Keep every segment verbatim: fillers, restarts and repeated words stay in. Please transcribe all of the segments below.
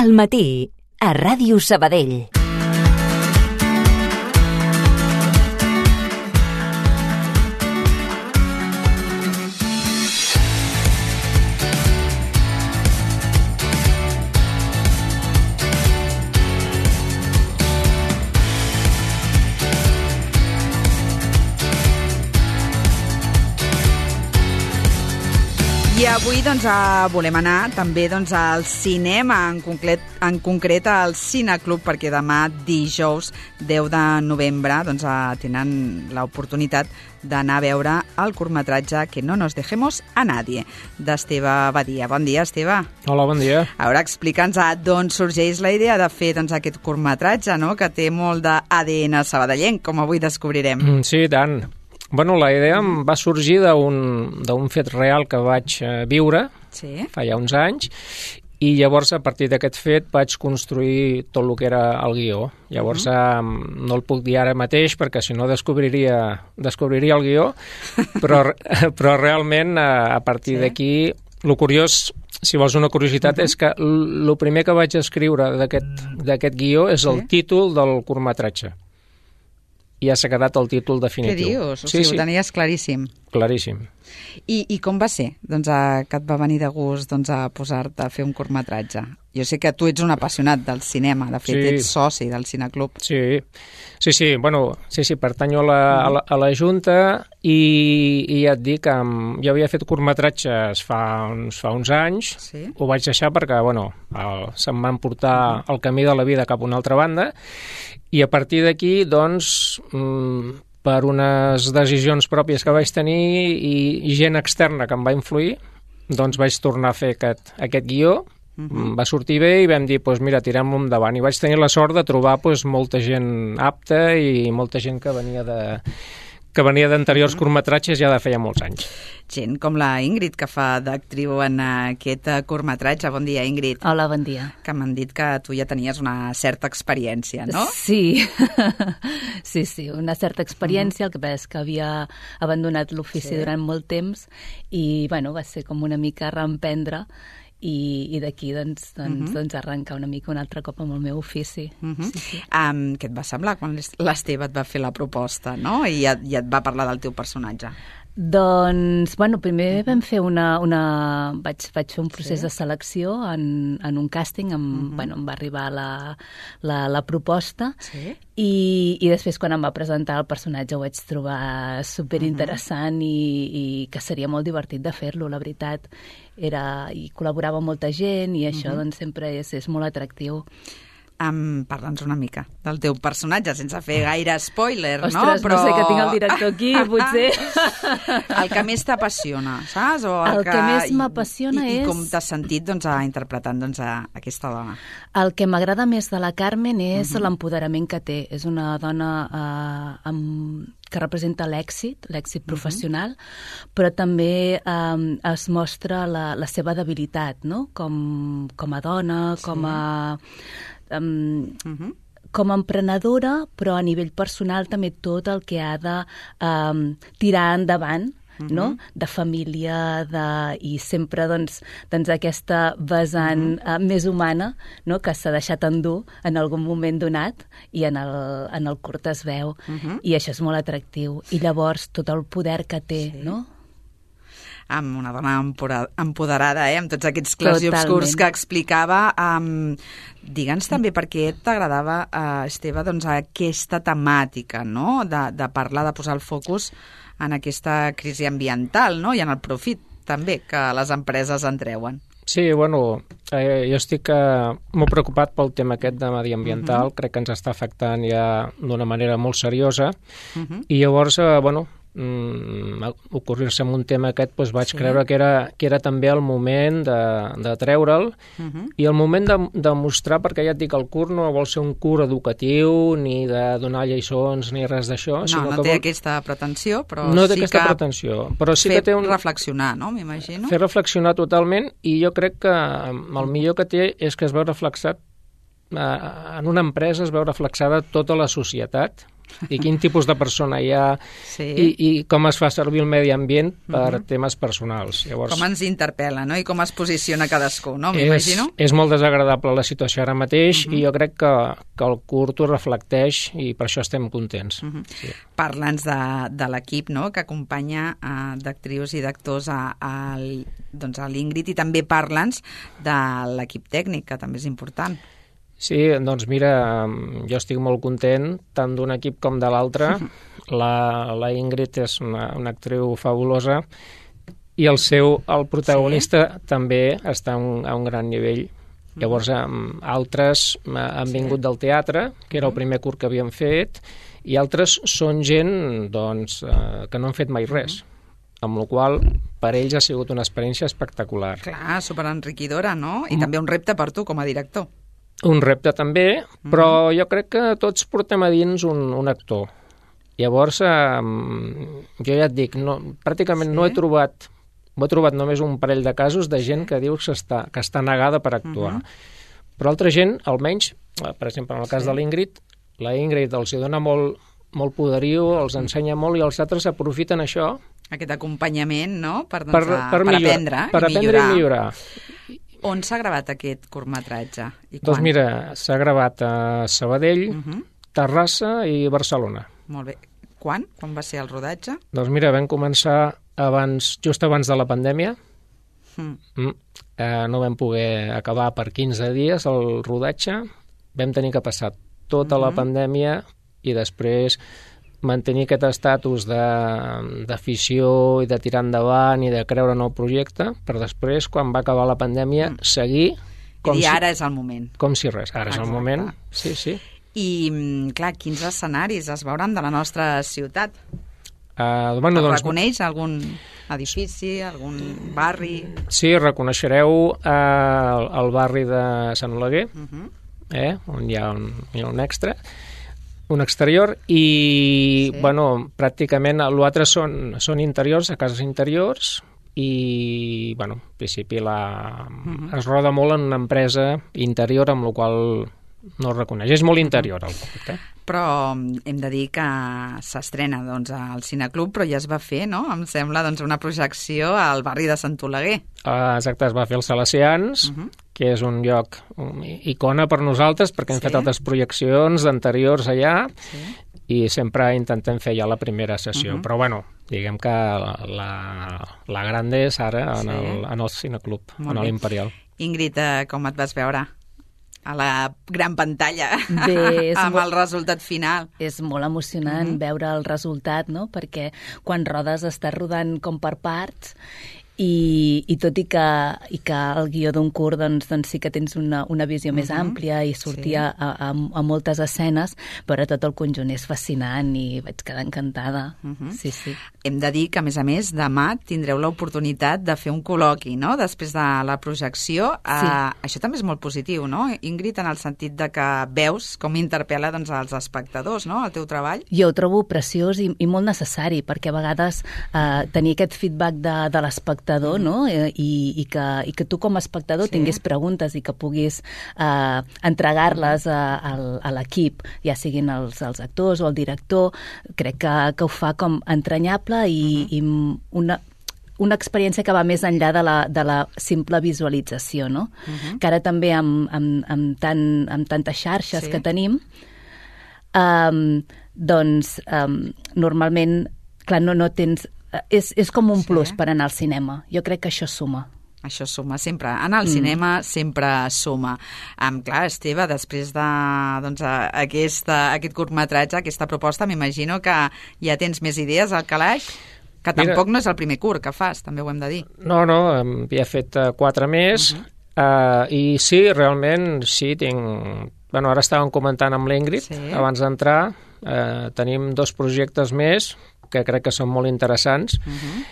Al matí, a Ràdio Sabadell. I avui doncs, volem anar també doncs, al cinema, en concret, en concret al Cineclub, perquè demà, dijous deu de novembre, doncs, tenen l'oportunitat d'anar a veure el curtmetratge Que no nos dejemos a nadie, d'Esteve Badia. Bon dia, Esteve. Hola, bon dia. A veure, explica'ns d'on sorgeix la idea de fer doncs, aquest curtmetratge, no? Que té molt d'A D N sabadellenc, com avui descobrirem. Mm, sí, tant. Bueno, la idea em va sorgir d'un d'un fet real que vaig eh, viure sí. fa ja uns anys, i llavors a partir d'aquest fet vaig construir tot el que era el guió. Llavors uh -huh. eh, no el puc dir ara mateix perquè si no descobriria, descobriria el guió, però, però realment eh, a partir sí. d'aquí, el curiós, si vols una curiositat, uh -huh. és que el primer que vaig escriure d'aquest guió és sí. el títol del curtmetratge. I ja s'ha quedat el títol definitiu. Què dius? O sí, sigui, sí. Ho tenies claríssim. Claríssim. I, i com va ser doncs, a, que et va venir de gust doncs, a posar-te a fer un curtmetratge? Jo sé que tu ets un apassionat del cinema, de fet, sí. ets soci del Cineclub. Sí, sí, sí, bueno, sí, sí, pertanyo a la, a la, a la Junta i, i ja et dic que jo havia fet curtmetratges fa uns, fa uns anys, sí. ho vaig deixar perquè, bueno, el, se'm van portar el camí de la vida cap a una altra banda, i a partir d'aquí, doncs, mmm, per unes decisions pròpies que vaig tenir i, i gent externa que em va influir, doncs vaig tornar a fer aquest, aquest guió. Uh-huh. Va sortir bé i vam dir, doncs mira, tirem-lo endavant. I vaig tenir la sort de trobar doncs, molta gent apta i molta gent que venia de que venia d'anteriors uh-huh. curtmetratges ja de feia molts anys. Gent com la Ingrid, que fa d'actriu en aquest curtmetratge. Bon dia, Ingrid. Hola, bon dia. Que m'han dit que tu ja tenies una certa experiència, no? Sí, sí, sí, una certa experiència. Uh-huh. El que passa és que havia abandonat l'ofici sí. durant molt temps i, bueno, va ser com una mica reemprendre i, i d'aquí doncs, doncs, uh-huh. doncs arrencar una mica un altre cop amb el meu ofici. Uh-huh. sí, sí. Um, què et va semblar quan l'Esteve et va fer la proposta, no? I ja, ja et va parlar del teu personatge? Doncs, bueno, primer vam fer una... una vaig, vaig fer un procés sí. de selecció en, en un càsting, em, uh-huh. bueno, em va arribar la, la, la proposta sí. i, i després quan em va presentar el personatge ho vaig trobar superinteressant uh-huh. i, i que seria molt divertit de fer-lo, la veritat. Era, i col·laborava amb molta gent i això uh-huh. doncs sempre és, és molt atractiu. Um, Parla'ns una mica del teu personatge, sense fer gaire spoiler, Ostres, no? Però... no sé, que tinc el director aquí, potser. El que més t'apassiona, saps? O el, el que, que més m'apassiona és... I com t'has sentit doncs, a, interpretant doncs, a aquesta dona? El que m'agrada més de la Carmen és uh-huh. l'empoderament que té. És una dona eh, amb... que representa l'èxit, l'èxit uh-huh. professional, però també eh, es mostra la, la seva debilitat, no? Com, com a dona, sí. com a... Um, uh-huh. com a emprenedora, però a nivell personal també tot el que ha de um, tirar endavant, uh-huh. no? De família, de... i sempre doncs, doncs aquesta vessant uh-huh. uh, més humana, no? Que s'ha deixat endur en algun moment donat i en el, en el curt es veu, uh-huh. i això és molt atractiu. I llavors tot el poder que té, sí. no? Amb una dona empoderada, eh? Amb tots aquests clars i obscurs que explicava. Um, Digue'ns també per què t'agradava, uh, Esteve, doncs, aquesta temàtica, no? De, de parlar, de posar el focus en aquesta crisi ambiental, no? I en el profit, també, que les empreses en treuen. Sí, bueno, eh, jo estic eh, molt preocupat pel tema aquest de mediambiental, uh-huh. crec que ens està afectant ja d'una manera molt seriosa, uh-huh. i llavors, eh, bueno, mm, ocorrir-se amb un tema aquest, doncs vaig sí. creure que era, que era també el moment de, de treure'l uh-huh. i el moment de, de mostrar, perquè ja et dic, el curt no vol ser un curt educatiu ni de donar lliçons ni res d'això. No, sinó no que té vol... aquesta pretensió, però no té sí aquesta que pretensió, però sí fer que té un... reflexionar, no? M'imagino. Fer reflexionar totalment, i jo crec que el millor que té és que es veu reflexat en una empresa, es veu reflexada tota la societat, i quin tipus de persona hi ha Sí. i, i com es fa servir el medi ambient per Mhm. temes personals. Llavors, Com ens interpel·la, no? I com es posiciona cadascú, no? és, M'imagino. és molt desagradable la situació ara mateix Mhm. i jo crec que, que el curt ho reflecteix i per això estem contents. Mhm. Sí. Parla'ns de, de l'equip, no?, que acompanya uh, d'actrius i d'actors a, a, doncs a l'Ingrid, i també parla'ns de l'equip tècnic, que també és important. Sí, doncs mira, jo estic molt content tant d'un equip com de l'altre. La, la Ingrid és una, una actriu fabulosa i el seu, el protagonista sí? també està a un, a un gran nivell. Llavors, um, altres han vingut sí. del teatre, que era el primer curt que havíem fet, i altres són gent doncs, uh, que no han fet mai res. Amb la qual per ells ha sigut una experiència espectacular. Clar, superenriquidora, no? I mm. també un repte per tu com a director. Un repte també, però jo crec que tots portem a dins un, un actor. Llavors, eh, jo ja et dic, no, pràcticament sí? no he trobat, he trobat només un parell de casos de gent que diu que està, que està negada per actuar. Uh -huh. Però altra gent, almenys, per exemple, en el cas sí. de l'Ingrid, la Ingrid els hi dona molt, molt poderiu, els ensenya molt i els altres aprofiten això. Aquest acompanyament, no?, per, doncs, per, per, per, per millor, aprendre per i aprendre millorar. i millorar. On s'ha gravat aquest curtmetratge? I Doncs quan? mira, s'ha gravat a Sabadell, Uh -huh. Terrassa i Barcelona. Molt bé. Quan? Quan va ser el rodatge? Doncs mira, vam començar abans, just abans de la pandèmia. Mm. Mm. Eh, no vam poder acabar per quinze dies el rodatge. Vam tenir que passar tota mm-hmm. la pandèmia i després mantenir aquest estatus d'afició i de tirar endavant i de creure en el projecte, per després, quan va acabar la pandèmia, mm. seguir com I si, ara és el moment. com si res. Ara Exacte. És el moment. Sí, sí. I, clar, quins escenaris es veuran de la nostra ciutat? Uh, bueno, doncs, reconeix algun edifici, algun barri? Sí, reconeixereu uh, el barri de Sant Oleguer, Uh -huh. eh, on hi ha un, hi ha un extra, un exterior, i sí. bueno, pràcticament l'altre són, són interiors, a cases interiors, i bueno, en principi la, uh -huh. es roda molt en una empresa interior, amb la qual no es reconeix. És molt interior el curt, eh? Però hem de dir que s'estrena doncs, al Cineclub, però ja es va fer, no?, em sembla, doncs, una projecció al barri de Sant Oleguer. Uh, exacte, es va fer als Salesians, uh -huh. que és un lloc un, icona per nosaltres, perquè hem sí. fet altres projeccions anteriors allà, sí. i sempre intentem fer ja la primera sessió. Uh -huh. Però, bueno, diguem que la, la, la grande és ara en, sí. el, en el Cineclub, Molt en l'Imperial. Ingrid, com et vas veure a la gran pantalla Bé, amb molt, el resultat final? És molt emocionant mm-hmm. veure el resultat, no?, perquè quan rodes estàs rodant com per parts, i, i tot i que, i que el guió d'un curt doncs, doncs sí que tens una, una visió uh-huh. més àmplia i sortia sí. a, a, a moltes escenes, però tot el conjunt és fascinant i vaig quedar encantada. Uh-huh. Sí, sí. Hem de dir que, a més a més, demà tindreu l'oportunitat de fer un col·loqui, no?, després de la projecció. Sí. Uh, això també és molt positiu, no, Ingrid, en el sentit de que veus com interpel·la doncs, als espectadors, no?, el teu treball. Jo ho trobo preciós i, i molt necessari, perquè a vegades uh, tenir aquest feedback de, de l'espectador, no? I, i, que, i que tu com a espectador sí. tinguis preguntes i que puguis eh, entregar-les a, a, a l'equip, ja siguin els, els actors o el director, crec que, que ho fa com entranyable i, uh-huh. i una, una experiència que va més enllà de la, de la simple visualització, no? Uh-huh. Que ara també amb, amb, amb, tant, amb tantes xarxes sí. que tenim, um, doncs um, normalment, clar, no, no tens... És, és com un sí. plus per anar al cinema. Jo crec que això suma. Això suma, sempre. Anar al mm. cinema sempre suma. Um, clar, Esteve, després de doncs, aquesta, aquest curtmetratge, aquesta proposta, m'imagino que ja tens més idees al calaix, que tampoc Mira, no és el primer curt que fas, també ho hem de dir. No, no, ja he fet uh, quatre més, uh -huh. uh, i sí, realment, sí, tinc... Bueno, ara estàvem comentant amb l'Ingrid, sí. abans d'entrar, uh, tenim dos projectes més, que crec que són molt interessants, uh-huh.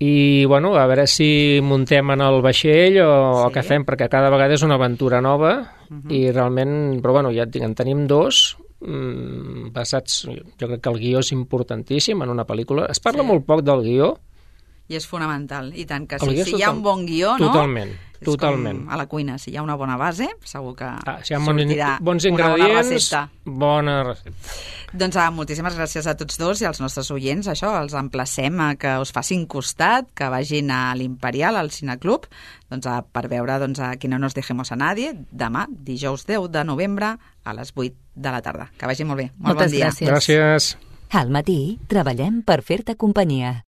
i, bueno, a veure si muntem en el vaixell o, sí. o què fem, perquè cada vegada és una aventura nova, uh-huh. i realment, però, bueno, ja en tenim dos, mmm, basats, jo crec que el guió és importantíssim en una pel·lícula. Es parla sí. molt poc del guió, i és fonamental. I tant que El sí. guió és Si hi ha total- un bon guió, no? Totalment, És totalment. com a la cuina, si hi ha una bona base, segur que Ah, si hi ha bons, sortirà bons una bona ingredients, recepta. bona recepta. Doncs ah, moltíssimes gràcies a tots dos i als nostres oients. Això, els emplacem a que us facin costat, que vagin a l'Imperial, al Cineclub, doncs, a, per veure doncs, a Qui no nos dejemos a nadie, demà, dijous deu de novembre, a les vuit de la tarda. Que vagi molt bé. Molt Moltes bon dia. gràcies. Gràcies. Al matí treballem per fer-te companyia.